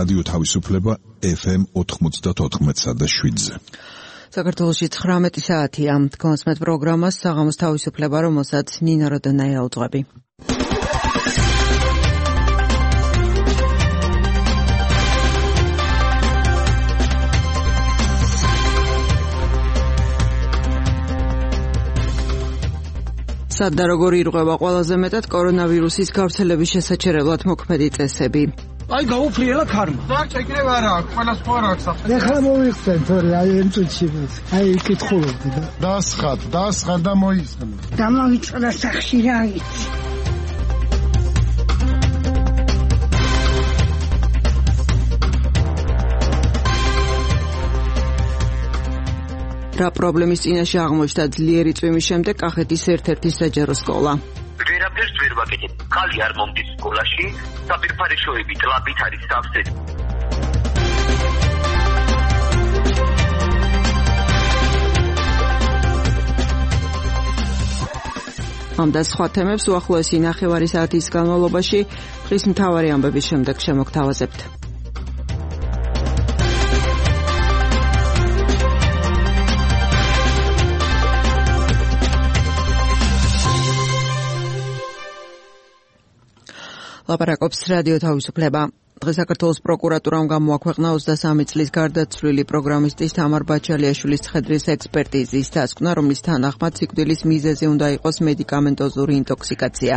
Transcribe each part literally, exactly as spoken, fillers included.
რადიო თავისუფლება ეფ ემ ოთხმოცდაოთხ და შვიდზე. საქართველოში ცხრამეტი საათია. კონსმეთ პროგრამას საღამოს თავისუფლება, რომელსაც ნინა როდონაია უძღვები. სად და როგორ ირღვევა ყველაზე მეტად კორონავირუსის გავრცელების შესაჩერებლად მოქმედი წესები? აი გაუფრიელა ქარმა. დარჩა იქნებ არა, ყველა სხვა აქვს ახლა. ეხლა მოიხსენ, თორე აი ამ წუთში. აი კითხულობდი და დასხათ, დასხათ და მოიხსენ. დამავიწყდა სახში რა იცი. რა პრობლემის წინაშე აღმოჩნდა ძლიერი წვიმის შემდეგ კახეთის ერთ-ერთი საჯარო სკოლა. ვერაფერს ვერ ვაკეთებ. ხალი არ მომდის სკოლაში, საფირფარეშოები ტლაბით არის სავსე. ამ და სხვა თემებს უახლოესი ნახევარი საათის განმავლობაში დღის მთავარი ამბების შემდეგ შემოგთავაზებთ. ლაპარაკობს რადიო თავისუფლება. დღეს საქართველოს პროკურატურამ გამოაქვეყნა ოცდასამი წლის გარდაცვლილი პროგრამისტის თამარ ბაჩალიაშვილის ცხედრის ექსპერტიზის დასკვნა, რომლის თანახმად სიკვდილის მიზეზი უნდა იყოს მედიკამენტოზური ინტოქსიკაცია.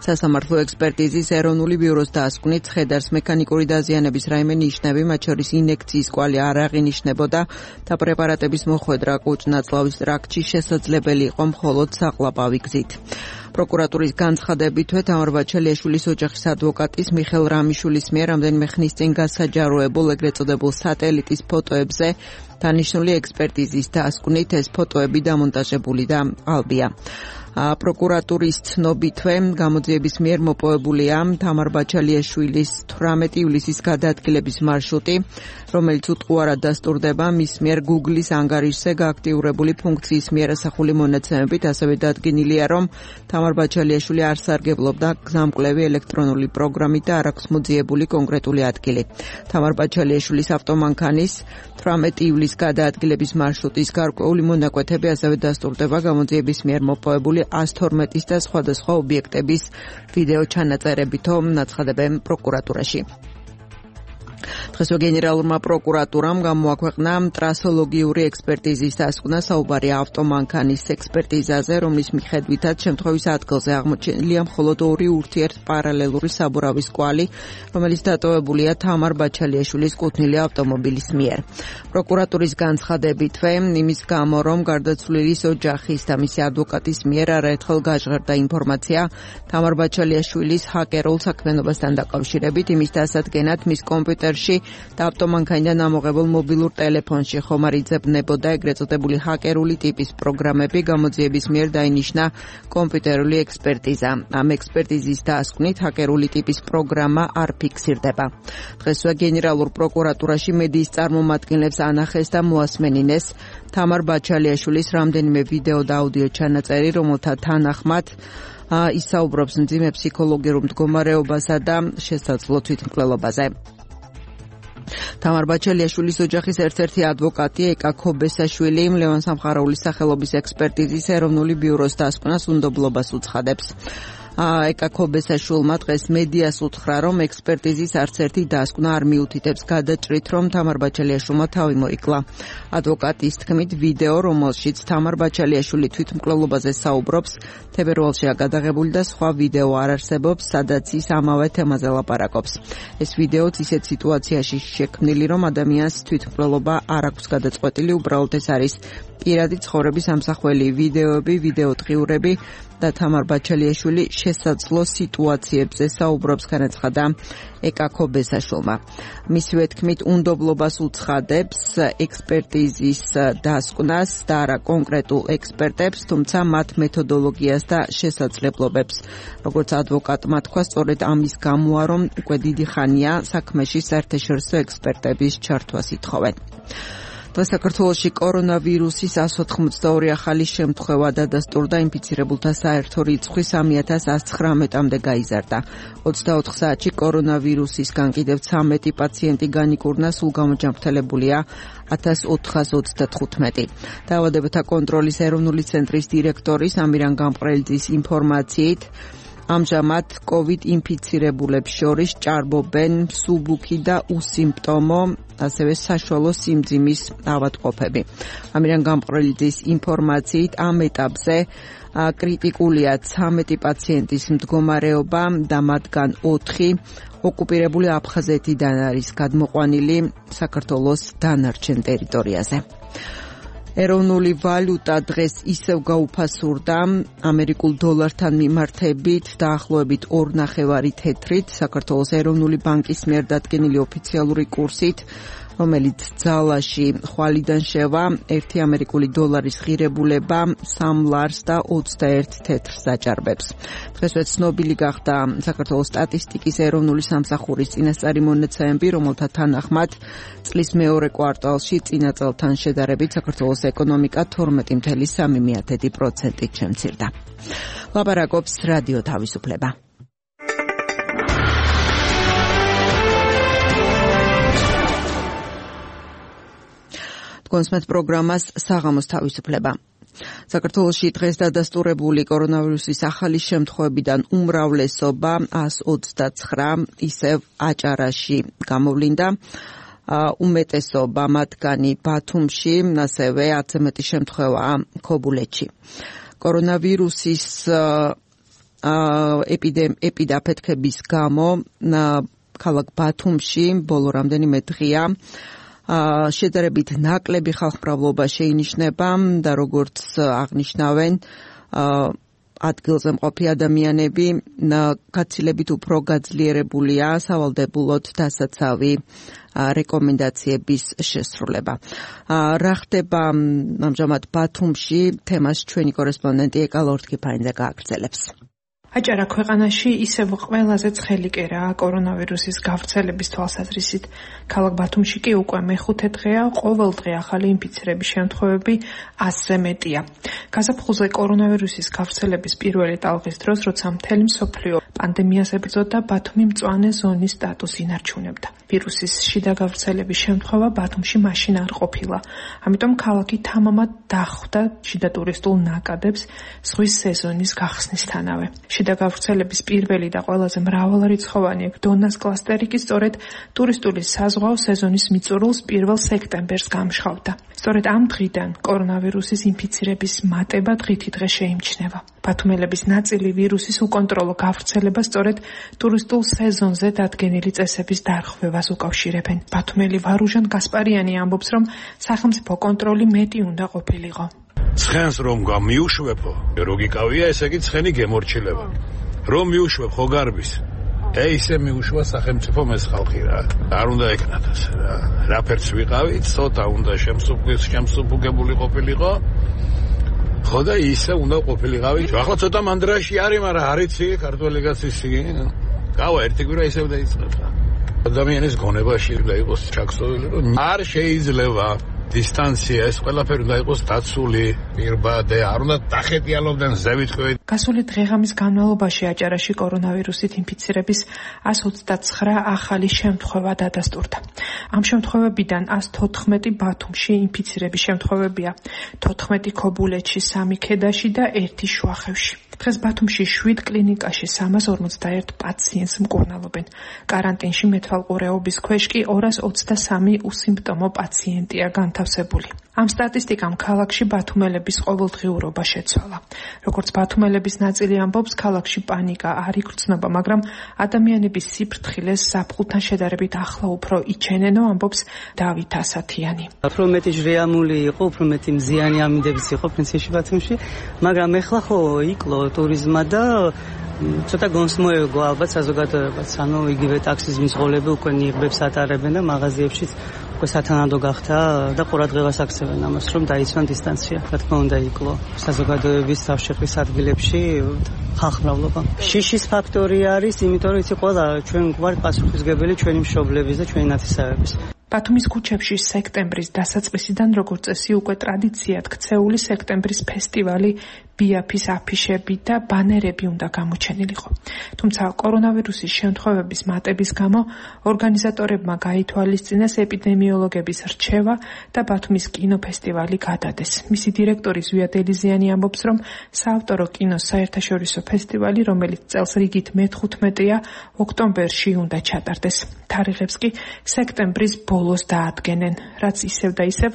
სასამართლო ექსპერტიზის ეროვნული ბიუროს დასკვნით ცხედარს მექანიკური დაზიანების რაიმე ნიშნები, მათ შორის ინექციის კვალი არ აღინიშნებოდა და პრეპარატების მოხვედრა კუჭ-ნაწლავის ტრაქტში შესაძლებელი იყო მხოლოდ საყლაპავი გზით. პროკურატურის განცხადებითვე თამარ ბაჩალიაშვილის ოჯახის ადვოკატის მიხელ რამიშვილის მიერ რამდენიმე ხნის წინ გასაჯაროებულ ეგრეთ წოდებულ სატელიტის ფოტოებზე დანიშნული ექსპერტიზის დასკვნით ეს ფოტოები დამონტაჟებული და ალბია. პროკურატურის ცნობითვე გამოძიების მიერ მოპოვებულია თამარ ბაჩალიაშვილის თვრამეტი ივლისის გადაადგილების მარშრუტი, რომელიც უტყუარად დასტურდება მის მიერ Google-ის ანგარიშზე გააქტიურებული ფუნქციის მიერ ასახული მონაცემებით. ასევე დადგენილია, რომ თამარ ბაჩალიაშვილი არ სარგებლობდა გზამკვლევი ელექტრონული პროგრამით და არ აქვს მოძიებული კონკრეტული ადგილი. თამარ ბაჩალიაშვილის ავტომანქანის თვრამეტი ივლისის გადაადგილების მარშრუტის გარკვეული მონაკვეთები ასევე დასტურდება გამოძიების მიერ მოპოვებული ას თორმეტის და სხვადასხვა ობიექტების ვიდეო ჩანაწერებითო ნაცხადებენ პროკურატურაში. დღესვე გენერალურმა პროკურატურამ გამოაქვეყნა ტრასოლოგიური ექსპერტიზის დასკვნა საუბარია ავტომანქანის ექსპერტიზაზე, რომლის მიხედვითაც შემთხვევის ადგილზე აღმოჩენილია მხოლოდ ორი ურთიერთპარალელური საბურავის კვალი, რომელიც დატოვებულია თამარ ბაჩალიაშვილის კუთვნილი ავტომობილის მიერ. პროკურატურის განცხადებითვე იმის გამო, რომ გარდაცვლილის ოჯახის და მისი ადვოკატის მიერ არაერთხელ გაჟღერდა ინფორმაცია თამარ ბაჩალიაშვილის ჰაკერულ საქმიანობასთან დაკავშირებით, იმის დასადგენად მის კომპიუტერში და ავტომანქანიდან ამოღებულ მობილურ ტელეფონში ხომ არ იძებნებოდა ეგრეთ წოდებული ჰაკერული ტიპის პროგრამები. გამოძიების მიერ დაინიშნა კომპიუტერული ექსპერტიზა. ამ ექსპერტიზის დასკვნით ჰაკერული ტიპის პროგრამა არ ფიქსირდება. დღესვე გენერალურ პროკურატურაში მედიის წარმომადგენლებს ანახეს და მოასმენინეს თამარ ბაჩალიაშვილის რამდენიმე ვიდეო და აუდიო ჩანაწერი, რომელთა თანახმად ისაუბრობს მძიმე ფსიქოლოგიურ მდგომარეობასა და შესაძლო თვითმკვლელობაზე. თამარ ბაჩალიაშვილის ოჯახის ერთ-ერთი ადვოკატი ეკა ქობესაშვილი ლევან სამხარაულის სახელობის ექსპერტიზის ეროვნული ბიუროს დასკვნას უნდობლობას უცხადებს. ეკა ქობესაშვილმა დღეს მედიას უთხრა, რომ ექსპერტიზის არც ერთი დასკვნა არ მიუთითებს გადაჭრით, რომ თამარ ბაჩალიაშვილმა თავი მოიკლა. ადვოკატის თქმით, ვიდეო, რომელშიც თამარ ბაჩალიაშვილი თვითმკვლელობაზე საუბრობს, თებერვალშია გადაღებული და სხვა ვიდეო არ არსებობს, სადაც ის ამავე თემაზე ლაპარაკობს. ეს ვიდეოც ისეთ სიტუაციაში შექმნილი, რომ ადამიანს თვითმკვლელობა არ აქვს გადაწყვეტილი, უბრალოდ ეს არის პირადი ცხოვრების ამსახველი ვიდეოები, ვიდეოტყიურები და თამარ ბაჩალიაშვილი შესაძლო სიტუაციებზე საუბრობს, განაცხადა ეკა ქობესაშვილმა. მისივე თქმით, უნდობლობას უცხადებს ექსპერტიზის დასკვნას და არა კონკრეტულ ექსპერტებს, თუმცა მათ მეთოდოლოგიას და შესაძლებლობებს. როგორც ადვოკატმა თქვა, სწორედ ამის გამოა, რომ უკვე დიდი ხანია საქმეში საერთაშორისო ექსპერტების ჩართვას ითხოვენ. საქართველოში კორონავირუსის εκατს ოთხმოცდაორი ახალი შემთხვევა დადასტურდა, ინფიცირებულთა საერთო რიცხვი სამი ათას ასი ცხრამეტამდე გაიზარდა. ოცდაოთხ საათში კორონავირუსისგან კიდევ ცამეტი პაციენტი განიკურნა, სულ გამოჯანმრთელებულია ათას ოთხას ოცდათხუთმეტი. დაავადებათა კონტროლის ეროვნული ცენტრის დირექტორის ამირან გამყრელიძის ინფორმაციით, ამჟამად COVID ინფიცირებულებს შორის ჭარბობენ მსუბუქი და უსიმპტომო, ასევე საშუალო სიმძიმის ავადმყოფები. ამირან გამყრელიძის ინფორმაციით, ამ ეტაპზე კრიტიკულია ცამეტი პაციენტის მდგომარეობა და მათგან ოთხი ოკუპირებული აფხაზეთიდან არის გადმოყვანილი საქართველოს დანარჩენ ტერიტორიაზე. ეროვნული ვალუტა დღეს ისევ გაუფასურდა ამერიკულ დოლართან მიმართებით დაახლოებით ორ ნახევარი თეთრით, საქართველოს ეროვნული ბანკის მიერ დადგენილი ოფიციალური კურსით, რომელიც ძალაში ხვალიდან შევა, ერთი ამერიკული დოლარის ღირებულება სამ ლარს და ოცდაერთ თეთრს აჭარბებს. დღესვე ცნობილი გახდა საქართველოს სტატისტიკის ეროვნული სამსახურის წინასწარი მონაცემები, რომელთა თანახმად წლის მეორე კვარტალში წინა წელთან შედარებით საქართველოს ეკონომიკა თორმეტი ფاصლე სამი პროცენტით შემცირდა. ლაპარაკობს რადიო თავისუფლება. კონსმეთ პროგრამას საღამოს თავისუფლება. საქართველოში დღეს დადასტურებული კორონავირუსის ახალი შემთხვევებიდან უმრავლესობა εκατს ოცდაცხრა ისევ აჭარაში გამოვლინდა. უმეტესობა მათგანი ბათუმში, ასევე ათზე მეტი შემთხვევაა ქობულეთში. კორონავირუსის ეპიდაფეთქების გამო ქალაქ ბათუმში ბოლო რამდენიმე დღეა შედარებით ნაკლები ხალხმრავლობა შეინიშნება და როგორც აღნიშნავენ ადგილზე მყოფი ადამიანები გაცილებით უფრო გაძლიერებულია სავალდებულოდ დასაცავი რეკომენდაციების შესრულება. რა ხდება ამჟამად ბათუმში, თემას ჩვენი კორესპონდენტი ეკა ლორთქიფანიძე გააგრძელებს. აჭარა ქვეყანაში ისევ ყველაზე ცხელი კერაა კორონავირუსის გავრცელების თვალსაზრისით. ქალაქ ბათუმში კი უკვე მეხუთე დღეა, ყოველ დღე ახალი ინფიცირების შემთხვევები ასზე მეტია. გაზაფხულზე კორონავირუსის გავრცელების პირველი ტალღის დროს, როცა მთელი მსოფლიო პანდემიას ებრძოდა, ბათუმი მწვანე ზონის სტატუსს ინარჩუნებდა. ვირუსის შიდა გავრცელების შემთხვევა ბათუმში მაშინ არ ყოფილა. ამიტომ ქალაქი თამამად დახვდა შიდა ტურისტულ ნაკადებს ზღვის სეზონის გახსნისთანავე. შიდა გავრცელების პირველი და ყველაზე მრავალრიცხოვანი დონას კლასტერი კი სწორედ ტურისტული საზღვაო სეზონის მიწურულს პირველ სექტემბერს გამშხავდა. სწორედ ამ დღიდან კორონავირუსის ინფიცირების მატება დღითი დღე შეიმჩნევა. ბათუმელების ნაწილი ვირუსის უკონტროლო გავრცელება სწორედ ტურისტულ სეზონზე დადგენილი წესების დარღვევას უკავშირებენ. ბათუმელი ვარუჟან გასპარიანი ამბობს, რომ სახელმწიფო კონტროლი მეტი უნდა ყოფილიყო. ცხენს რომ გამიუშვებო, როგიკავია, ესე იგი ცხენი გემორჩილება. რომ მიუშვებ ხო გარბის. ე ისე მიუშვა სახელმწიფო მეს ხალხი რა. არ უნდა ეკნათ ასე რა. რაფერც ვიყავით, ცოტა უნდა შემსუბუქეს, შემსუბუქებული ყოფილიყო. ხო და ისე უნდა ყოფილიყავი. ახლა ცოტა მანდრაში არის, მაგრამ არიცი ქართველი კაცის იგი. გავა ერთი კვირა ისევ დაიწყება. ადამიანის გონებაში და იყოს ჩაქსოვილი, რომ არ შეიძლება დისტანცია ეს ყველაფერი უნდა იყოს დაცული, პირბადე, არ უნდა დახეტიალობდნენ ზევით-ხვევით. გასული დღეღამის განმავლობაში აჭარაში კორონავირუსით ინფიცირების εκατს ოცდაცხრა ახალი შემთხვევა დადასტურდა. ამ შემთხვევებიდან εκατს თოთხმეტი ბათუმში ინფიცირების შემთხვევებია, თოთხმეტი ქობულეთში, სამი ქედაში და ერთი შუახევში. დღეს ბათუმში შვიდ კლინიკაში სამას ორმოცდაერთ პაციენტს მკურნალობენ. კარანტინში მეთვალყურეობის ქვეშ კი ორას ოცდასამი უსიმპტომო პაციენტია განთავსებული. ამ სტატისტიკამ ქალაქში ბათუმელების ყოველდღიურობა შეცვალა. როგორც ბათუმელების ნაწილი ამბობს, ქალაქში პანიკა არ იგრძნობა, მაგრამ ადამიანების სიფრთხილეს ზაფხულთან შედარებით ახლა უფრო იჩენენო, ამბობს დავით ასათიანი. უფრო მეტი ჟრეამული იყო, უფრო მეტი მზიანი ამინდების იყო პრინციპში ბათუმში, მაგრამ ეხლა ხო იკლო ტურიზმა და ცოტა გონსმოევგო ალბათ საზოგადოებაც, ანუ იგივე ტაქსის მძღოლები უკვე ნიღბებს ატარებენ და მაღაზიებშიც უკვე სათანადო გახდა და ყურადღებას აქცევენ ამას, რომ დაიცვან დისტანცია. რა თქმა უნდა იკლო საზოგადოების თავშეყრის ადგილებში ხალხმრავლობა. შიშის ფაქტორი არის, იმიტომ რომ იცი ყველა ჩვენ გვარი პასუხისგებელი ჩვენი მშობლების და ჩვენი ნათესავების. ბათუმის ქუჩებში სექტემბრის დასაწყისიდან როგორც წესი უკვე ტრადიციად ქცეული სექტემბრის ფესტივალი ბიაფის აფიშები და ბანერები უნდა გამოჩენილიყო. თუმცა კორონავირუსის შემთხვევების მატების გამო ორგანიზატორებმა გაითვალისწინეს ეპიდემიოლოგების რჩევა და ბათუმის კინოფესტივალი გადადეს. მისი დირექტორი ზვიად ელიზიანი ამბობს, რომ საავტორო კინოს საერთაშორისო ფესტივალი, რომელიც წელს რიგით მეთხუთმეტეა, ოქტომბერში უნდა ჩატარდეს. თარიღებს კი სექტემბრის ბოლოს დაადგენენ, რაც ისევ და ისევ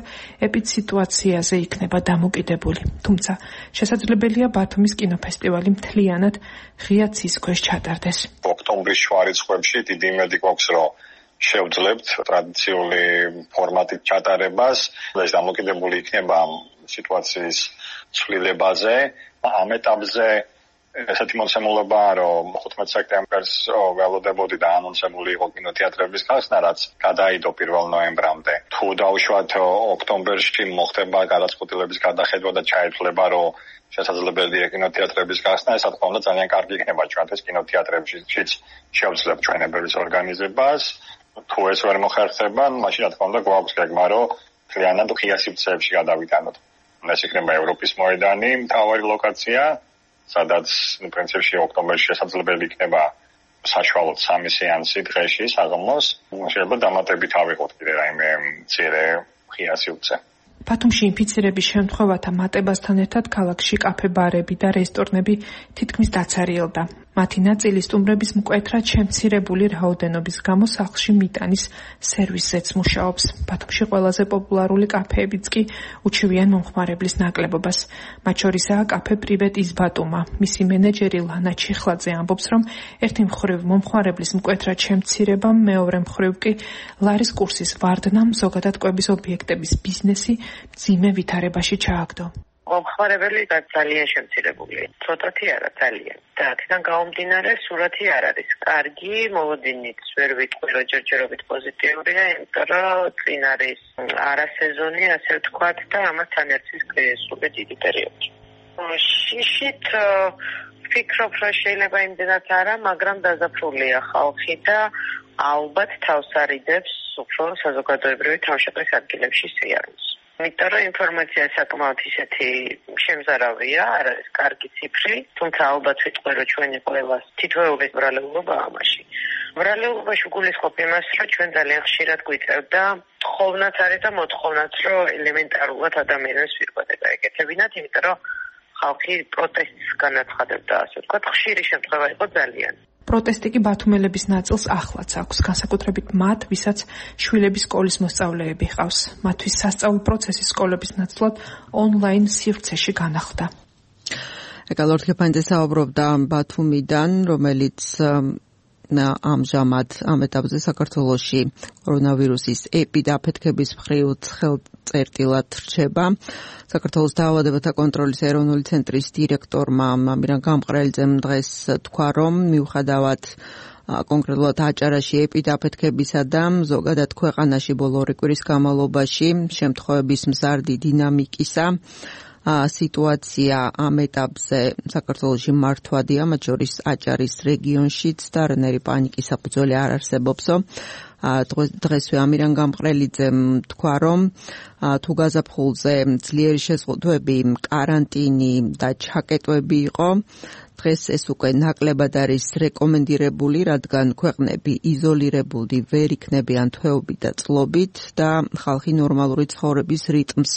ეპიდსიტუაციაზე იქნება დამოკიდებული. თუმცა შესაძლებელია ბათუმის კინოფესტივალი მთლიანად ღია ცის ქვეშ ჩატარდეს. ოქტომბრის შუა რიცხვებში დიდი იმედი გვაქვს, რომ შევძლებთ ტრადიციული ფორმატით ჩატარებას. ეს დამოკიდებული იქნება სიტუაციის ცვლილებაზე. ამ ეტაპზე ესეთი მოცემულობაა, რომ ხუთმეტ სექტემბერს ველოდებოდი და ანონსებული იყო კინოთეატრების გახსნა, რაც გადაიდო პირველ ნოემბრამდე. თუ დავუშვათ ოქტომბერში მოხდება გადაწყვეტილების გადახედვა და ჩაითვლება, რომ შესაძლებელია კინოთეატრების გახსნა, ეს რა თქმა უნდა ძალიან კარგი იქნება ჩვენთვის კინოთეატრებშიც შევძლებთ ჩვენებების ორგანიზებას. თუ ეს ვერ მოხერხდება, მაშინ რა თქმა უნდა გვაქვს გეგმა, რომ მთლიანად ღია სივრცეებში გადავიტანოთ. ეს იქნება ევროპის მოედანი, მთავარი ლოკაცია, სადაც პრინციპში ოქტომბერში შესაძლებელი იქნება საშუალოდ სამი სეანსი დღეში საღამოს. შეიძლება დამატებით ავიღოთ კიდე რაიმე მცირე ღია სივრცე. ბათუმში ინფიცირების შემთხვევათა მატებასთან ერთად ქალაქში კაფე-ბარები და რესტორნები თითქმის დაცარიელდა. მათი ნაწილი სტუმრების მკვეთრად შემცირებული რაოდენობის გამო სახლში მიტანის სერვისზეც მუშაობს. ბათუმში ყველაზე პოპულარული კაფეებიც კი უჩივიან მომხმარებლის ნაკლებობას. მათ შორისაა კაფე პრივეტ ის ბატუმა. მისი მენეჯერი ლანა ჩიხლაძე ამბობს, რომ ერთი მხრივ მომხმარებლის მკვეთრად შემცირებამ, მეორე მხრივ კი ლარის კურსის ვარდნამ ზოგადად კვების ობიექტების ბიზნესი მძიმე ვითარებაში ჩააგდო. მომხმარებელი ძალიან შემცირებული. ცოტათი არა ძალიან. და აქედან გამომდინარე სურათი არ არის კარგი, მოლოდინიც ვერ ვიტყვი, რომ ჯერჯერობით პოზიტიურია, იმიტომ რომ წინ არის არასეზონი, ასე ვთქვათ, და ამასთან ერთის კრიზისული დიდი პერიოდი. შიშით ვფიქრობ, რომ შეიძლება იმდენად არა, მაგრამ დაზაფრულია ხალხი და ალბათ თავს არიდებს უფრო საზოგადოებრივი თავშეყრის ადგილებში სიარულს. იმიტომ რომ ინფორმაცია საკმაოდ ისეთი შემზარავია, არ არის კარგი ციფრი, თუმცა ალბათ ვიტყვი, რომ ჩვენი ყველას თითოეული ბრალეულობა ამაში. ბრალეულობაში გულისხმობ იმას, რომ ჩვენ ძალიან ხშირად გვიწევდა თხოვნაც არის და მოთხოვნაც, რომ ელემენტარულად ადამიანებს ვირკვედება ეკეთებინათ, იმიტომ რომ ხალხი პროტესტს განაცხადებდა, ასე ვთქვათ, ხშირი შემთხვევა იყო ძალიან. პროტესტი კი ბათუმელების ნაწილს ახლაც აქვს, განსაკუთრებით მათ, ვისაც შვილების სკოლის მოსწავლეები ჰყავს. მათთვის სასწავლო პროცესი სკოლების ნაცვლად ონლაინ სივრცეში განახლდა. ეკალ ორთქეფანიძე საუბრობდა ბათუმიდან, რომელიც ამჟამად ამ ეტაპზე საქართველოში კორონავირუსის ეპიდაფეთქების მხრივ ხელწერტილად რჩება. საქართველოს დაავადებათა კონტროლის ეროვნული ცენტრის დირექტორმა ამირან გამყრელიძემ დღეს თქვა, რომ მიუხედავად კონკრეტულად აჭარაში ეპიდაფეთქებისა და ზოგადად ქვეყანაში ბოლო ორი კვირის განმავლობაში შემთხვევების მზარდი დინამიკისა, სიტუაცია ამ ეტაპზე საქართველოში მართვადია, მათ შორის აჭარის რეგიონშიც და რანერი პანიკის საფუძველი არ არსებობსო. დღესვე ამირან გამყრელიძემ თქვა, რომ თუ გაზაფხულზე ძლიერი შეზღუდვები, კარანტინი და ჩაკეტვები იყო, დღეს ეს უკვე ნაკლებად არის რეკომენდირებული, რადგან ქვეყნები იზოლირებული ვერ იქნებიან თვეობით და წლობით და ხალხი ნორმალური ცხოვრების რიტმს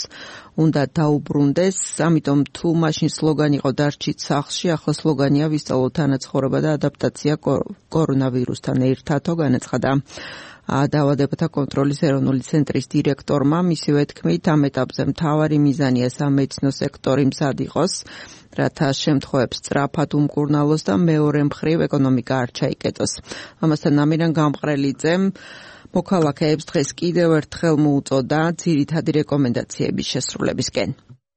უნდა დაუბრუნდეს. ამიტომ თუ მაშინ სლოგანი იყო დარჩით სახლში, ახლა სლოგანია ვისწავლოთ თანაცხოვრება და ადაპტაცია კორონავირუსთან ერთადო, განაცხადა დაავადებათა კონტროლის ეროვნული ცენტრის დირექტორმა. მისივე თქმით, ამ ეტაპზე მთავარი მიზანია სამედიცინო სექტორი მზად იყოს, რათა შემთხვევებს სწრაფად უმკურნალოს და მეორე მხრივ ეკონომიკა არ ჩაიკეტოს. ამასთან ამირან გამყრელიძემ მოქალაქეებს დღეს კიდევ ერთხელ მოუწოდა ძირითადი რეკომენდაციების შესრულებისკენ.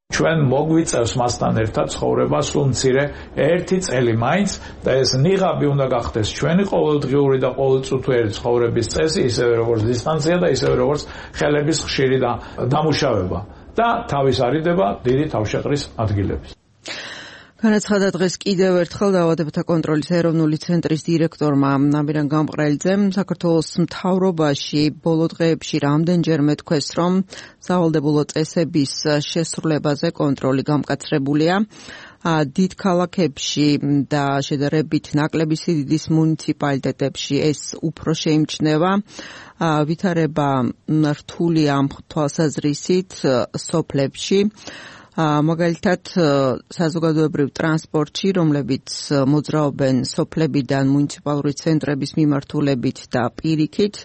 ჩვენ მოგვიწევს მასთან ერთად ცხოვრება სულ მცირე ერთი წელი მაინც და ეს ნიღაბი უნდა გახდეს ჩვენი ყოველდღიური და ყოველწუთიერი ცხოვრების წესი, ისევე როგორც დისტანცია და ისევე როგორც ხელების ხშირი დამუშავება და თავის არიდება დიდი თავშეყრის ადგილების. განაცხადა დღეს კიდევ ერთხელ დაავადებათა კონტროლის ეროვნული ცენტრის დირექტორმა ამირან გამყრელიძემ საქართველოს მთავრობაში ბოლო დღეებში რამდენჯერმე თქვეს, რომ სავალდებულო წესების შესრულებაზე კონტროლი გამკაცრებულია. დიდ ქალაქებში და შედარებით ნაკლები სიდიდის მუნიციპალიტეტებში ეს უფრო შეიმჩნევა. ვითარება რთულია ამ თვალსაზრისით სოფლებში. მაგალითად საზოგადოებრივ ტრანსპორტში, რომლებიც მოძრაობენ სოფლებიდან მუნიციპალური ცენტრების მიმართულებით და პირიქით,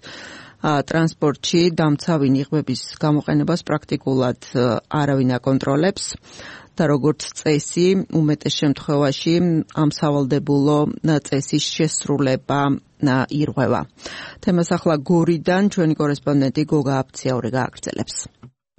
ტრანსპორტში დამცავი ნიღბების გამოყენებას პრაქტიკულად არავინ აკონტროლებს და როგორც წესი, უმეტეს შემთხვევაში ამ სავალდებულო წესის შესრულება ირღვევა. თემას ახლა გორიდან ჩვენი კორესპონდენტი გოგა აფციაური გააგრძელებს.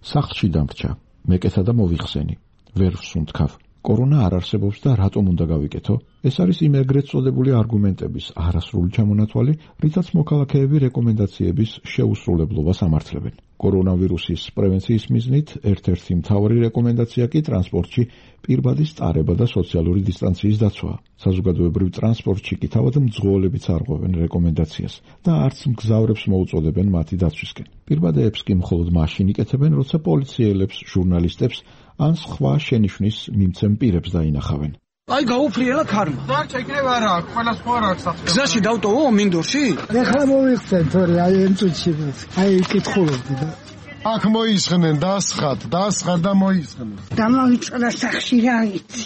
სახლში დამრჩა. მეკეთა და მოვიხსენი. ვერ ვსუნთქავ. კორონა არ არსებობს და რატომ უნდა გავიკეთო? ეს არის იმ ეგრეთ წოდებული არგუმენტების არასრული ჩამონათვალი, რითაც მოქალაქეები რეკომენდაციების შეუსრულებლობას ამართლებენ. კორონავირუსის პრევენციის მიზნით ერთ-ერთი მთავარი რეკომენდაცია კი ტრანსპორტში პირბადის ტარება და სოციალური დისტანციის დაცვაა. საზოგადოებრივ ტრანსპორტში კი თავად მძღოლებიც არღვევენ რეკომენდაციას და არც მგზავრებს მოუწოდებენ მათი დაცვისკენ. პირბადეებს კი მხოლოდ მაშინ იკეთებენ, როცა პოლიციელებს, ჟურნალისტებს ან სხვა შენიშვნის მიმცემ პირებს დაინახავენ. აი გაუფრიელა ქარმა. დარჩა იქნება არა, ყველა სხვა რა აქვს. გზაში დავტოვო მინდორში? ეხლა მოვიხსენ თორე აი ამ წუთში. აი კითხულობდი და აქ მოისხნენ, დასხათ, დასხათ და მოისხნენ. დამავიწყდა სახში რა იცი.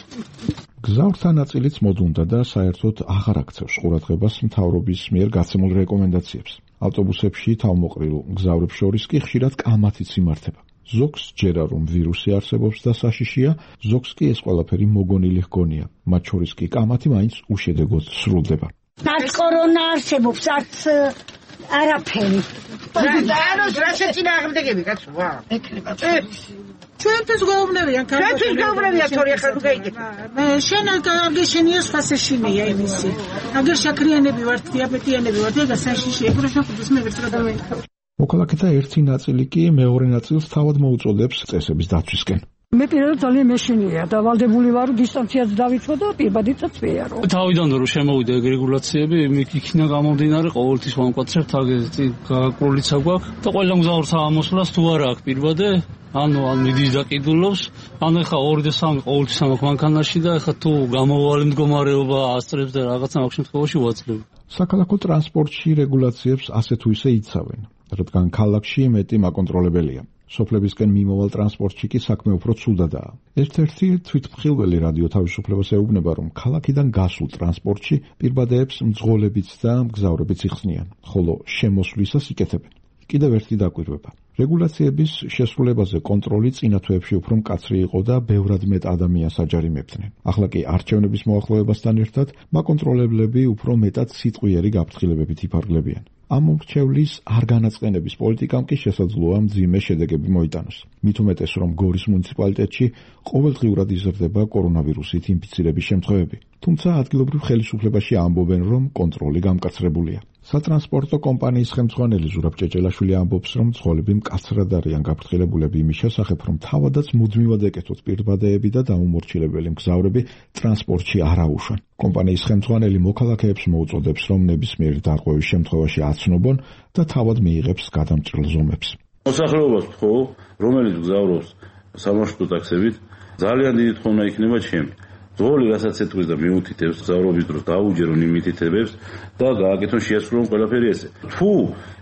გზავრთა ნაწილიც მოდუნდა და საერთოდ აღარ აქცევს ყურადღებას მთავრობის მიერ გაცემულ რეკომენდაციებს. ავტობუსებში თავმოყრილ მგზავრებს შორის კი ხშირად კამათიც იმართება. ზოგს ჯერა რომ ვირუსი არსებობს და საშიშია, ზოგს კი ეს ყველაფერი მოგონილი ჰგონია. მათ შორის კი კამათი მაინც უშედეგოდ სრულდება. არც კორონა არსებობს, არც არაფერი. ანუ რასაც წინააღმდეგები კაცო, ვა. ეკრება. ჩვენთვის გაუბრებიან ქართული. ჩვენთვის გაუბრებიან თორე ახლა თუ გაიგეთ. შენ კარგი შენია სფასეშინია იმისი. აგერ შაქრიანები ვართ, დიაბეტიანები ვართ, ეგა საშიში, ეგრე შეხვდეს მე ვერც რა დავინახავ. მოქალაქეთა ერთი ნაწილი კი მეორე ნაწილს თავად მოუწოდებს წესების დაცვისკენ. მე პირადად ძალიან მეშინია და ვალდებული ვარ დისტანციაც დავიწყო და პირბადიცაც ვეარო. თავიდან რომ შემოვიდა ეგ რეგულაციები, იქნა გამომდინარე ყოველთვის ვამკვაცრებთ აგეთი გაკრულიცა გვაქვს და ყველა მგზავრს ამოსვლას თუ არა აქვს პირბადე, ანუ ან მიდის და ყიდულობს, ანუ ეხა ორი და სამი ყოველთვის ამაქვს მანქანაში და ეხა თუ გამოვალი მდგომარეობა ასწრებს და რაღაცა მაგ შემთხვევაში ვაძლევ. საქალაქო ტრანსპორტში რეგულაციებს ასე თუ ისე იცავენ, რადგან ქალაქში მეტი მაკონტროლებელია. სოფლებისკენ მიმავალ ტრანსპორტში კი საქმე უფრო ცუდადაა. ერთ-ერთი თვითმხილველი რადიო თავისუფლებას ეუბნება, რომ ქალაქიდან გასულ ტრანსპორტში პირბადეებს მძღოლებიც და მგზავრებიც იხსნიან, ხოლო შემოსვლისას იკეთებენ. კიდევ ერთი დაკვირვება. რეგულაციების შესრულებაზე კონტროლი წინა თვეებში უფრო მკაცრი იყო და ბევრად მეტ ადამიანს აჯარიმებდნენ. ახლა კი არჩევნების მოახლოებასთან ერთად მაკონტროლებლები უფრო მეტად სიტყვიერი გაფრთხილებებით იფარგლებიან. ამ მრჩევლის არ განაწყენების პოლიტიკამ კი შესაძლოა მძიმე შედეგები მოიტანოს. მით უმეტეს, რომ გორის მუნიციპალიტეტში ყოველდღიურად იზრდება კორონავირუსით ინფიცირების შემთხვევები. თუმცა ადგილობრივ ხელისუფლებაში ამბობენ, რომ კონტროლი გამკაცრებულია. სატრანსპორტო კომპანიის ხელმძღვანელი ზურაბ ჭეჭელაშვილი ამბობს, რომ მძღოლები მკაცრად არიან გაფრთხილებულები იმის შესახებ, რომ თავადაც მუდმივად ეკეთოთ პირბადეები და დაუმორჩილებელი მგზავრები ტრანსპორტში არ აუშვან. კომპანიის ხელმძღვანელი მოქალაქეებს მოუწოდებს, რომ ნებისმიერ დარღვევის შემთხვევაში აცნობონ და თავად მიიღებს გადამჭრელ ზომებს. მოსახლეობას ხო, რომელიც მგზავრობს სამარშრუტო ტაქსებით, ძალიან დიდი თხოვნა იქნება ჩემი. ძღოლი რასაც ეთქვის და მიუთითებს გზავრობის დროს დაუჯერონ იმითითებებს და გააკეთონ შეასრულონ ყველაფერი ესე. თუ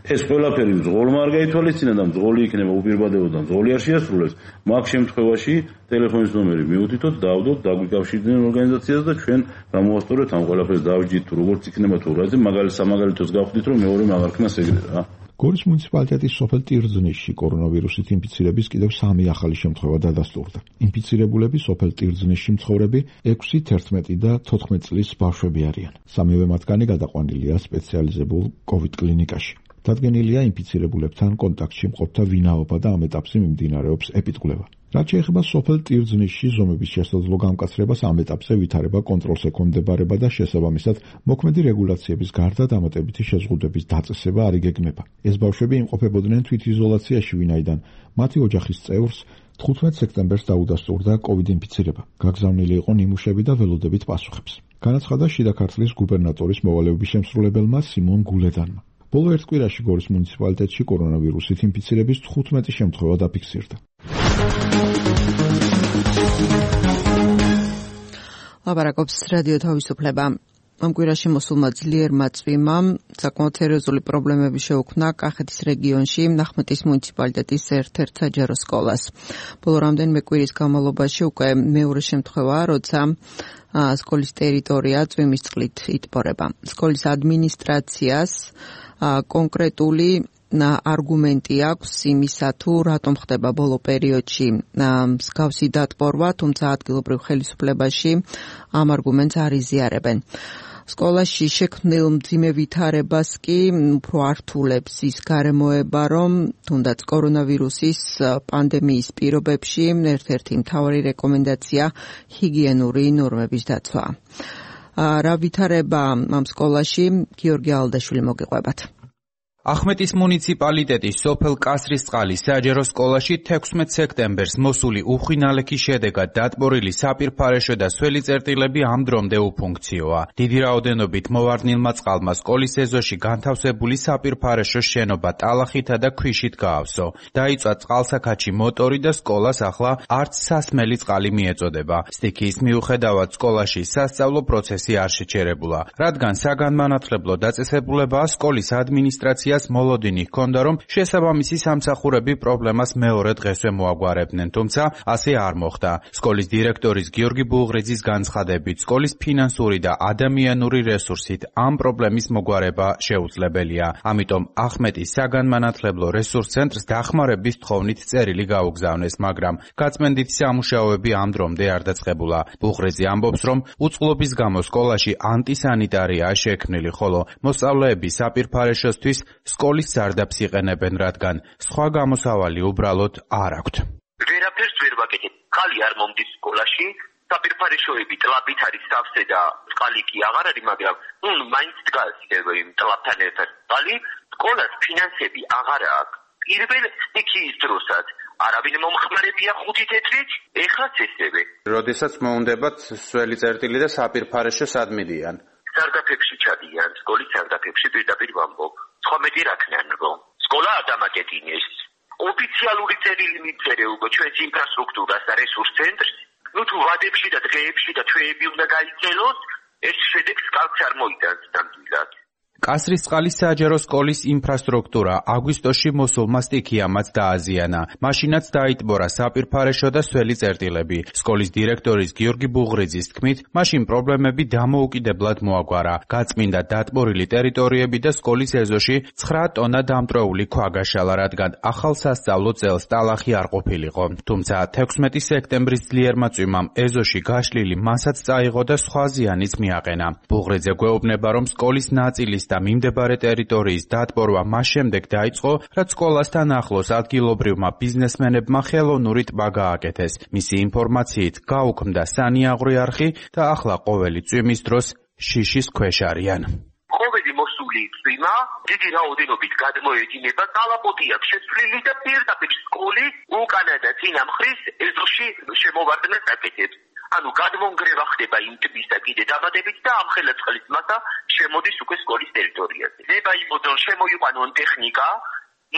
ეს ყველაფერი მძღოლმა არ გაითვალისწინა და მძღოლი იქნება უპირბადებოდ და მძღოლი არ შეასრულებს, მაგ შემთხვევაში ტელეფონის ნომერი მიუთითოთ, დავდოთ, დაგვიკავშირდნენ ორგანიზაციას და ჩვენ გამოვასწორებთ ამ ყველაფერს დავჯით თუ როგორც იქნება თუ რა, მაგალითად სამაგალითოს გავხდით რომ მეორე მაგარქნას ეგრე რა. გორის მუნიციპალიტეტის სოფელ ტირზნისში კორონავირუსით ინფიცირების კიდევ სამი ახალი შემთხვევა დადასტურდა. ინფიცირებულები სოფელ ტირზნისში მცხოვრები ექვსი, თერთმეტი და თოთხმეტ წლის ბავშვები არიან. სამივე მათგანი გადაყვანილია სპეციალიზებულ კოვიდ კლინიკაში. დადგენილია ინფიცირებულებთან კონტაქტში მყოფთა ვინაობა და ამ ეტაპზე მიმდინარეობს ეპიდკვლევა. რაც შეეხება სოფელ ტირზნისში ზომების შესაძლო გამკაცრებას, ამ ეტაპზე ვითარება კონტროლს ექვემდებარება და შესაბამისად მოქმედი რეგულაციების გარდა დამატებითი შეზღუდვების დაწესება არ იგეგმება. ეს ბავშვები იმყოფებოდნენ თვითიზოლაციაში, ვინაიდან მათი ოჯახის წევრს თხუთმეტ სექტემბერს დაუდასტურდა კოვიდ ინფიცირება. გაგზავნილი იყო ნიმუშები და ველოდებით პასუხებს. განაცხადა შიდა ქართლის გუბერნატორის მოვალეობის შემსრულებელმა სიმონ გულედანმა. ბოლო ერთ კვირაში გორის მუნიციპალიტეტში კორონავირუსით ინფიცირების თხუთმეტი შემთხვევა დაფიქსირდა. ლაპარაკობს რადიო თავისუფლება. ამ კვირაში მოსულმა ძლიერმა წვიმამ საკმაოდ სერიოზული პრობლემები შეუქმნა კახეთის რეგიონში ნახმეტის მუნიციპალიტეტის ერთ-ერთ საჯარო სკოლას. ბოლო რამდენიმე კვირის განმავლობაში უკვე მეორე შემთხვევაა, როცა სკოლის ტერიტორია წვიმის წყლით იტბორება. სკოლის ადმინისტრაციას კონკრეტული არგუმენტი აქვს იმისა, თუ რატომ ხდება ბოლო პერიოდში მსგავსი დატბორვა, თუმცა ადგილობრივ ხელისუფლებაში ამ არგუმენტს არ იზიარებენ. სკოლაში შექმნილ მძიმე ვითარებას კი უფრო ართულებს ის გარემოება, რომ თუნდაც კორონავირუსის პანდემიის პირობებში ერთ-ერთი მთავარი რეკომენდაცია ჰიგიენური ნორმების დაცვა. რა ვითარება ამ სკოლაში, გიორგი ალდაშვილი მოგიყვებათ. ახმეტის მუნიციპალიტეტის სოფელ კასრისწყლის საჯარო სკოლაში თექვსმეტ სექტემბერს მოსული უხინალექის შედეგად დატბორილი საპირფარეშო და სველი წერტილები ამ დრომდე უფუნქციოა. დიდი რაოდენობით მოვარდნილმა წყალმა სკოლის ეზოში განთავსებული საპირფარეშო შენობა ტალახითა და ქვიშით გაავსო. დაიწვა წყალსაქაჩი მოტორი და სკოლას ახლა არც სასმელი წყალი მიეწოდება. სტიქიის მიუხედავად სკოლაში სასწავლო პროცესი არ შეჩერებულა, რადგან საგანმანათლებლო დაწესებულებაა სკოლის ადმინისტრაცია მოლოდინი ჰქონდა, რომ შესაბამისი სამსახურები პრობლემას მეორე დღესვე მოაგვარებდნენ, თუმცა ასე არ მოხდა. სკოლის დირექტორის გიორგი ბუღრიძის განცხადებით, სკოლის ფინანსური და ადამიანური რესურსით ამ პრობლემის მოგვარება შეუძლებელია. ამიტომ ახმეტის საგანმანათლებლო რესურს ცენტრს დახმარების თხოვნით წერილი გაუგზავნეს, მაგრამ გაწმენდითი სამუშაოები ამ დრომდე არ დაწყებულა. ბუღრიძე ამბობს, რომ უწყლობის გამო სკოლაში ანტისანიტარიაა შექმნილი, ხოლო მოსწავლეები საპირფარეშოსთვის სკოლის სარდაფს იყენებენ, რადგან სხვა გამოსავალი უბრალოდ არ აქვთ. ვერაფერს ვერ ვაკეთებ. ხალი არ მომდის სკოლაში, საპირფარეშოები ტლაბით არის სავსე და წყალი კი აღარ არის, მაგრამ ნუ მაინც დგას იმ ტლაბთან ერთად წყალი. სკოლას ფინანსები აღარ აქვს. პირველ სტიქიის დროსაც არავინ მომხმარებია ხუთი თეთრით, ეხლაც ესევე. როდესაც მოუნდებათ სველი წერტილი და საპირფარეშო სად მიდიან? სარდაფებში ჩადიან, სკოლის სარდაფებში პირდაპირ ვამბობ. სხვა მეტი რა ქნან რომ სკოლა არ დამაკეტინეს. ოფიციალური წერილი მიწერე უკვე ჩვენს ინფრასტრუქტურას და რესურს ცენტრს. ნუ თუ ვადებში და დღეებში და თვეები უნდა გაიწელოს, ეს შედეგს კალს არ მოიტანს ნამდვილად. კასრისწყლის საჯარო სკოლის ინფრასტრუქტურა აგვისტოში მოსულმა სტიქიამაც დააზიანა. მაშინაც დაიტბორა საპირფარეშო და სველი წერტილები. სკოლის დირექტორის გიორგი ბუღრიძის თქმით, მაშინ პრობლემები დამოუკიდებლად მოაგვარა. გაწმინდა დატბორილი ტერიტორიები და სკოლის ეზოში ცხრა ტონა დამტრეული ქვა გაშალა, რადგან ახალ სასწავლო წელს ტალახი არ ყოფილიყო. თუმცა თექვსმეტი სექტემბრის ძლიერმა წვიმამ ეზოში გაშლილი მასაც წაიღო და სხვა ზიანიც მიაყენა. ბუღრიძე გვეუბნება, რომ სკოლის ნაწილის და მიმდებარე ტერიტორიის დატბორვა მას შემდეგ დაიწყო, რაც სკოლასთან ახლოს ადგილობრივმა ბიზნესმენებმა ხელოვნური ტბა გააკეთეს. მისი ინფორმაციით გაუქმდა სანიაღვრე არხი და ახლა ყოველი წვიმის დროს შიშის ქვეშ არიან. ყოველი მოსული წვიმა დიდი რაოდენობით გადმოედინება, კალაპოტი აქვს შეცვლილი და პირდაპირ სკოლის უკანა და წინა მხრის ეზოში შემოვარდნას აკეთებს. ანუ გადმონგრევა ხდება იმ ტბის და კიდე დაბადებით და ამ ხელაწყლის მასა შემოდის უკვე სკოლის ტერიტორიაზე. ნება იმოდონ შემოიყვანონ ტექნიკა,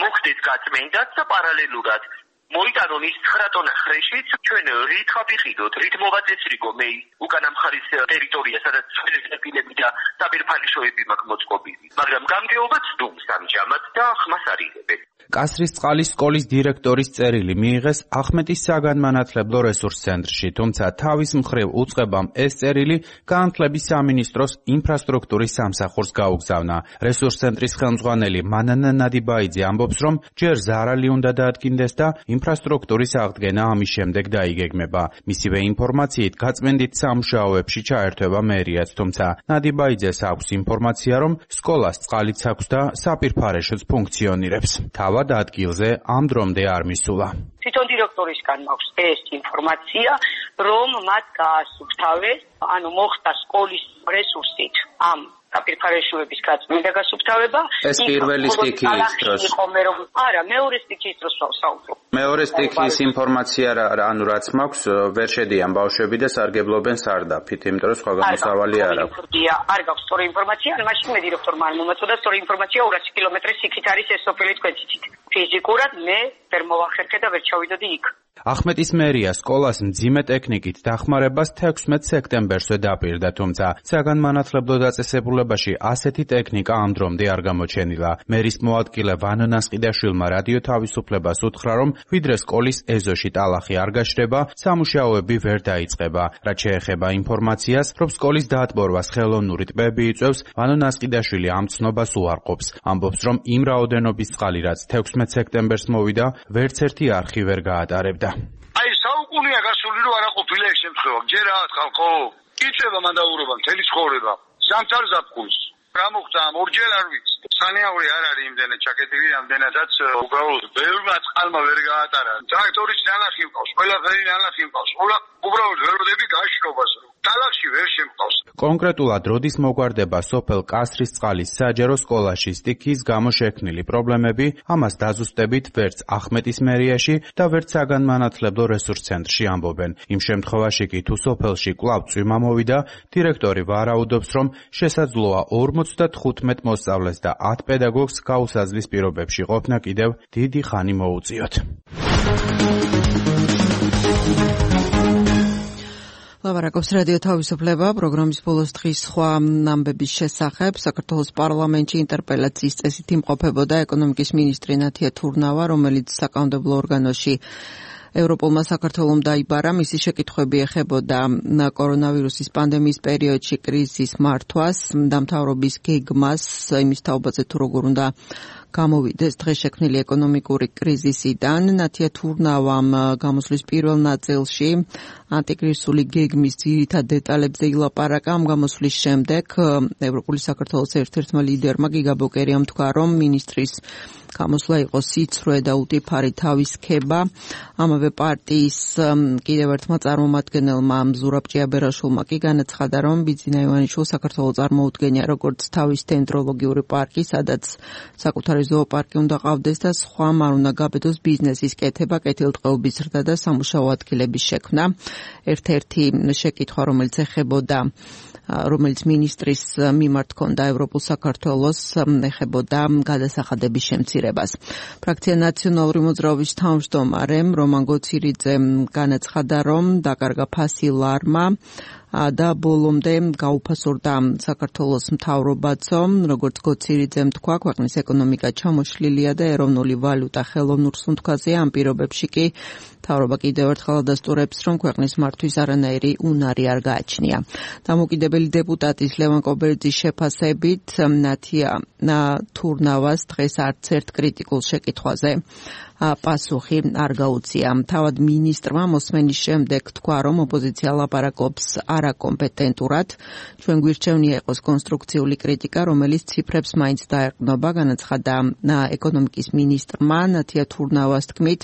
მოხდეს გაწმენდაც და პარალელურად მოიტანონ ის ცხრა ტონა ხრეშიც, ჩვენ რით ხაფიხიდოთ, რით მოვაწესრიგო მე უკანა მხარის ტერიტორია, სადაც სკოლის წერტილები და საპირფარეშოები მაქვს მოწყობილი. მაგრამ გამგეობა ცდუმს ამჟამად და ხმას არ იღებენ. კასრისწყლის სკოლის დირექტორის წერილი მიიღეს ახმეტის საგანმანათლებლო რესურს ცენტრში, თუმცა თავის მხრივ უწყებამ ეს წერილი განათლების სამინისტროს ინფრასტრუქტურის სამსახურს გაუგზავნა. რესურს ცენტრის ხელმძღვანელი მანანა ნადიბაიძე ამბობს, რომ ჯერ ზარალი უნდა დაადგინდეს და ინფრასტრუქტურის აღდგენა ამის შემდეგ დაიგეგმება. მისივე ინფორმაციით გაწმენდით სამუშაოებში ჩაერთვება მერიაც, თუმცა ნადიბაიძეს აქვს ინფორმაცია, რომ სკოლას წყალიც აქვს და საპირფარეშოც ფუნქციონირებს. თავად ადგილზე ამ დრომდე არ მისულა. თვითონ დირექტორისგან მაქვს ეს ინფორმაცია, რომ მათ გაასუფთავეს, ანუ მოხდა სკოლის რესურსით ამ საპირფარეშოების გაწმენდა გასუფთავება. ეს პირველი სტიქიის დროს. არა, მეორე სტიქიის დროს ვსაუბრობ. მეორე სტიქიის ინფორმაცია ანუ რაც მაქვს ვერ შედიან ბავშვები და სარგებლობენ სარდაფით, იმიტომ რომ სხვა გამოსავალი არ აქვს. არ გაქვს სწორი ინფორმაცია, მაშინ მე დირექტორმა არ მომაწოდა სწორი ინფორმაცია ორასი კილომეტრის იქით არის ეს სოფელი თქვენც იცით. ფიზიკურად მე ვერ მოვახერხე და ვერ ჩავიდოდი იქ. ახმეტის მერია სკოლას მძიმე ტექნიკით დახმარებას თექვსმეტ სექტემბერსვე დაპირდა, თუმცა საგანმანათლებლო დაწესებულებაში ასეთი ტექნიკა ამ დრომდე არ გამოჩენილა. მერის მოადგილე ვანო ნასყიდაშვილმა რადიო თავისუფლებას უთხრა, რომ ვიდრე სკოლის ეზოში ტალახი არ გაჩნდება, სამუშაოები ვერ დაიწყება. რაც შეეხება ინფორმაციას, რომ სკოლის დაატბორვას ხელოვნური ტბები იწვევს, ვანო ნასყიდაშვილი ამ ცნობას უარყოფს. ამბობს, რომ იმ რაოდენობის წყალი, რაც თექვსმეტ სექტემბერს მოვიდა, ვერც ერთი არხი ვერ გაატარებდა. აი საუკუნეა გასული რომ არა ყოფილა ეს შემთხვევა. ჯერ რაღაც ხალხო იწება მანდაურობა მთელი ცხოვრება. ზამთარ ზაფხულს. რა მოხდა ამ ორჯერ არ ვიცი. სანიაური არ არის იმდენად ჩაკეტილი, ამდენადაც უბრალოდ ბევრმა წყალმა ვერ გაატარა. ტრაქტორის ნალახი მყავს, ყველაფერი ნალახი მყავს. უბრალოდ ვერ ვდები გაშრობას. ტალახში ვერ შემყავს. კონკრეტულად როდის მოგვარდება სოფელ კასრისწყალის საჯარო სკოლაში სტიქიის გამო შექმნილი პრობლემები, ამას დაზუსტებით ვერც ახმეტის მერიაში და ვერც საგანმანათლებლო რესურს ცენტრში ამბობენ. იმ შემთხვევაში კი თუ სოფელში კვლავ წვიმა მოვიდა, დირექტორი ვარაუდობს, რომ შესაძლოა ორმოცდათხუთმეტ მოსწავლეს და ათ პედაგოგს გაუსაზლის პირობებში ყოფნა კიდევ დიდი ხანი მოუწიოთ. ლაპარაკობს რადიო თავისუფლება პროგრამის ბოლოს დღის სხვა ამბების შესახებ. საქართველოს პარლამენტში ინტერპელაციის წესით იმყოფებოდა ეკონომიკის მინისტრი ნათია თურნავა, რომელიც საკანონმდებლო ორგანოში ევროპულმა საქართველომ დაიბარა. მისი შეკითხვები ეხებოდა კორონავირუსის პანდემიის პერიოდში კრიზისის მართვას, დამთავრების გეგმას, იმის თაობაზე თუ როგორ უნდა გამოვიდეს დღეს შექმნილი ეკონომიკური კრიზისიდან. ნათია თურნავამ გამოსვლის პირველ ნაწილში ანტიკრიზისული გეგმის ძირითად დეტალებზე ილაპარაკა. ამ გამოსვლის შემდეგ ევროპული საქართველოს ერთ-ერთმა ლიდერმა გიგა ბოკერიამ თქვა, რომ მინისტრის გამოსვლა იყო სიცრუე და უტიფარი თავისქება. ამავე პარტიის კიდევ ერთმა წარმომადგენელმა ზურაბ ჭიაბერაშვილმა კი განაცხადა, რომ ბიძინა ივანიშვილს საქართველოს წარმოუდგენია როგორც თავის დენდროლოგიური პარკი, სადაც საკუთარი ზოოპარკი უნდა ყავდეს და სხვა არ უნდა გაბედოს ბიზნესის კეთება, კეთილდღეობის ზრდა და სამუშაო ადგილების შექმნა. ერთ-ერთი შეკითხვა, რომელიც ეხებოდა რომელიც მინისტრის მიმართ ჰქონდა ევროპულ საქართველოს, ეხებოდა გადასახადების შემცირებას. ფრაქცია ნაციონალური მოძრაობის თავმჯდომარე რომან გოცირიძემ განაცხადა, რომ დაკარგა ფასი ლარმა და ბოლომდე გაუფასურდა საქართველოს მთავრობაცო. როგორც გოცირიძემ თქვა, ქვეყნის ეკონომიკა ჩამოშლილია და ეროვნული ვალუტა ხელოვნურ სუნთქვაზეა. ამ პირობებში კი მთავრობა კიდევ ერთხელ ადასტურებს, რომ ქვეყნის მართვის არანაირი უნარი არ გააჩნია. დამოუკიდებელი დეპუტატის ლევან კობერიძის შეფასებით, ნათია თურნავას დღეს არც ერთ კრიტიკულ შეკითხვაზე პასუხი არ გაუწია. თავად მინისტრმა მოსმენის შემდეგ თქვა, რომ ოპოზიცია ლაპარაკობს არაკომპეტენტურად. ჩვენ გვირჩევნია იყოს კონსტრუქციული კრიტიკა, რომელიც ციფრებს მაინც დაეყრდნობა. განაცხადა ეკონომიკის მინისტრმა ნათია თურნავას თქმით,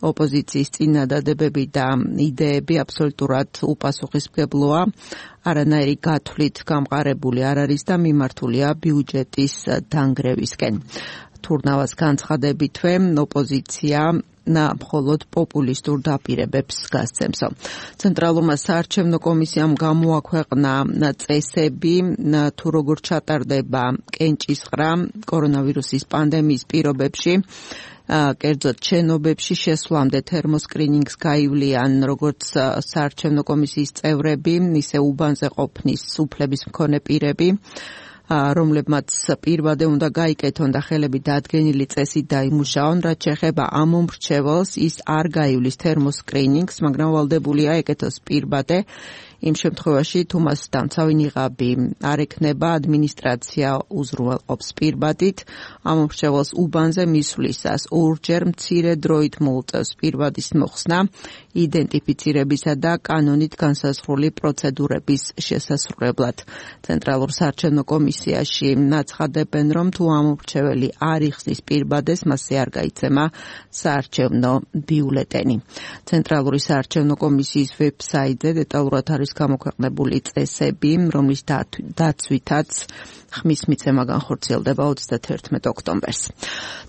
ოპოზიციის წინადადებები და იდეები აბსოლუტურად უპასუხისმგებლოა. არანაირი გათვლით გამყარებული არ არის და მიმართულია ბიუჯეტის დანგრევისკენ. თურნავას განცხადებითვე ოპოზიცია მხოლოდ პოპულისტურ დაპირებებს გასცემსო. ცენტრალურმა საარჩევნო კომისიამ გამოაქვეყნა წესები, თუ როგორ ჩატარდება კენჭისყრა კორონავირუსის პანდემიის პირობებში. კერძოდ შენობებში შესვლამდე თერმოსკრინინგს გაივლიან როგორც საარჩევნო კომისიის წევრები, ისე უბანზე ყოფნის უფლების მქონე პირები, რომლებმაც პირვადე უნდა გაიკეთონ და ხელები დადგენილი წესით დაიმუშაონ. რაც შეეხება ამ მომრჩეველს, ის არ გაივლის თერმოსკრინინგს, მაგრამ ვალდებულია ეკეთოს პირვადე. იმ შემთხვევაში, თუ მას დამცავი ნიღაბი არ ექნება, ადმინისტრაცია უზრუნველყოფს პირვადით. ამ მომრჩეველს უბანზე მისვლისას ორჯერ მცირე დროით მოუწევს პირვადის მოხსნა, იდენტიფიცირებისა და კანონით განსაზღვრული პროცედურების შესასრულებლად. ცენტრალურ საარჩევნო კომისიაში ნაცხადებენ, რომ თუ ამ მომრჩეველი არ იხსნის პირვადეს, მასზე არ გაიცემა საარჩევნო ბიულეტენი. ცენტრალური საარჩევნო კომისიის ვებსაიტზე დეტალურად არის გამოქვეყნებული წესები, რომლის დაცვითაც ხმის მიცემა განხორციელდება ოცდათერთმეტ ოქტომბერს.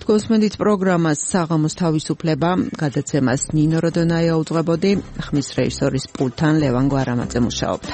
თქვენს მენდით პროგრამას საღამოს თავისუფლება გადაცემას ნინო როდონაია უძღვებოდი, ხმის რეჟისორის პულტთან ლევან გვარამაძე მუშაობდა.